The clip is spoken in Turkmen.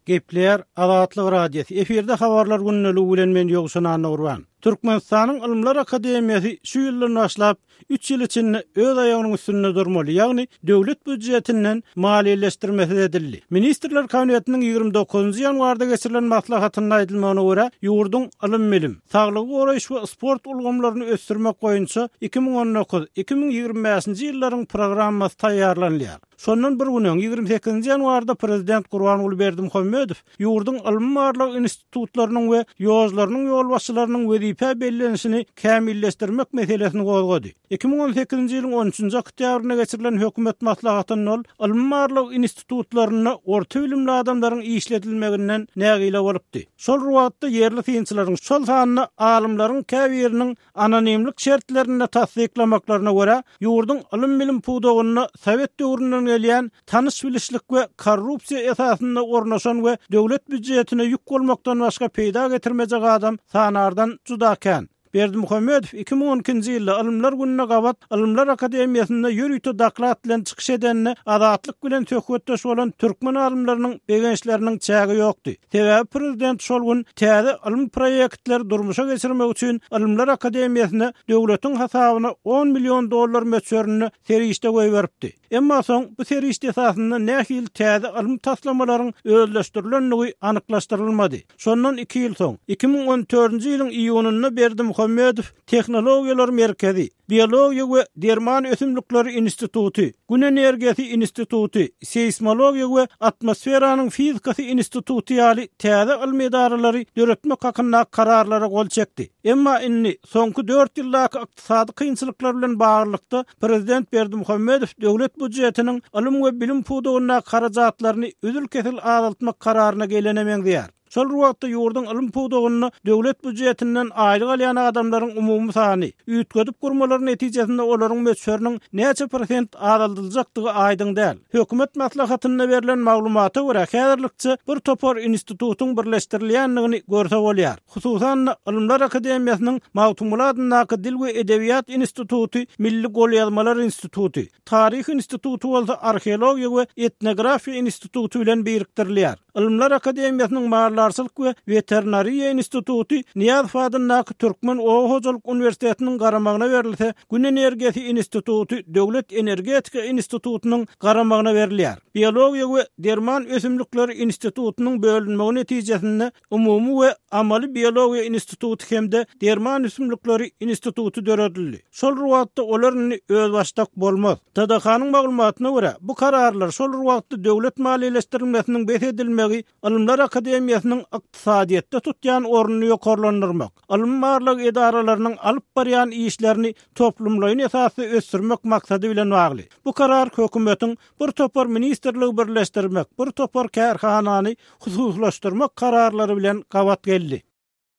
Gepleýär Azatlyk Radiosy, efirde Habarlar gündeligi bilen men Ýowşan Annagurban. Türkmenistanyň Ylymlar akademiýasy şu ýyldan başlap, üç ýyl içinde öz aýagynyň üstünde durmaly, ýagny döwlet býujetinden maliýeleşdirmesiz edildi. Ministrler Kabinetiniň 29-njy ýanwarda geçirilen maslahatynda aýdylmagyna görä, ýurduň ylym-bilim, saglygy goraýyş we sport ulgamlaryny ösdürmek boýunça 2019, 2025-nji ýyllaryň programmasy taýýarlanylýar. Şondan bir gün öň, 28-nji ýanwarda prezident Gurbanguly Berdimuhamedow ýurduň ylmy-barlag institutlarynyň we ÝOJ-larynyň ýolbaşçylarynyň wezipä bellenişini kämilleşdirmek meselesini gozgady. 2018-nji ýylyň on üçünji oktýabrynda geçirilen hökümet maslahatynda ol ylmy-barlag institutlarynda orta bilimli adamlaryň işledilmeginden nägile bolupdy. Şol bir wagtda ýerli synçylaryň, şol sanda alymlaryň käbiriniň Anonimlik şertlerinde tassyklamaklaryna görä, ýurduň ylym-bilim pudagynda sowet döwründen gelýän tanyş-bilişlik we korrupsiýa esasynda ornaşan we döwlet býujetine ýük bolmakdan başga peýda getirmejek adam sanardan juda kän. Berdimuhamedow 2012-nji ýylda Ylymlar gününe gabat Ylymlar akademiýasynda ýörite doklad bilen çykyş edende Azatlyk bilen söhbetdeş bolan türkmen alymlarynyň begençleriniň çägi ýokdy. Sebäbi prezident şol gün täze ylmy proýektleri durmuşa geçirmek üçin Ylymlar akademiýasyna döwletiň hasabyna on million dollar möçberinde serişde goýberipdi. Emma soň bu serişde esasynda nähili täze ylmy taslamalaryň özleşdirilendigi anyklaşdyrylmady. Şondan iki ýyl soň, 2014-nji ýylyň iýunynda Berdimuhamedow Tehnologiýalar merkezi, Biologiýa we derman ösümlikleri instituty, Gün energiýasy instituty, Seýsmologiýa we atmosferanyň fizikasy instituty ýaly täze ylmy edaralary döretmek hakyndaky kararlara gol çekdi. Emma indi, soňky dört ýyldaky ykdysady kynçylyklar bilen baglylykda, prezident Berdimuhamedow döwlet býujetiniň ylym we bilim pudagyndaky harajatlaryny üzül-kesil azaltmak kararyna gelene meňzeýär. Şol bir wagtda ýurduň ylym pudagynda döwlet býujetinden aýlyk alýan adamlaryň umumy sany, üýtgedip gurmalar netijesinde olaryň möçberiniň näçe prosent azaldyljakdygy aýdyň däl. Hökümet maslahatynda berlen maglumata görä, häzirlikçe bir topar institutyň birleşdirilýändigini görse bolýar. Hususan-da, Ylymlar akademiýasynyň Magtymguly adyndaky Dil we edebiýat instituty Milli golýazmalar instituty, Taryh instituty bolsa Arheologiýa we etnografiýa instituty bilen birikdirilýär. Ylymlar akademiýasynyň Maldarçylyk we weterinariýa instituty Nyýazow adyndaky Türkmen oba hojalyk uniwersitetiniň garamagyna berilse, Gün energiýasy instituty Döwlet energetika institutynyň garamagyna berilýär. Biologiýa we derman ösümlikleri institutynyň bölünmegi netijesinde Umumy we amaly biologiýa instituty hem-de Derman ösümlikleri instituty döredildi. Şol bir wagtda olar indi özbaşdak bolmaz. TDH-nyň maglumatyna görä, bu kararlar şol bir wagtda döwlet maliýeleşdirilmesiniň bes edilmegi Ylymlar akademiýasynyň ykdysadyýetde tutýan ornuny ýokarlandyrmak, ylmy-barlag edaralarynyň alyp barýan işlerini toplumlaýyn esasda ösdürmek maksady bilen bagly. Bu karar hökümetiň bir topar ministrligi birleşdirmek, bir topar kärhanany hususylaşdyrmak kararlary bilen gabat geldi.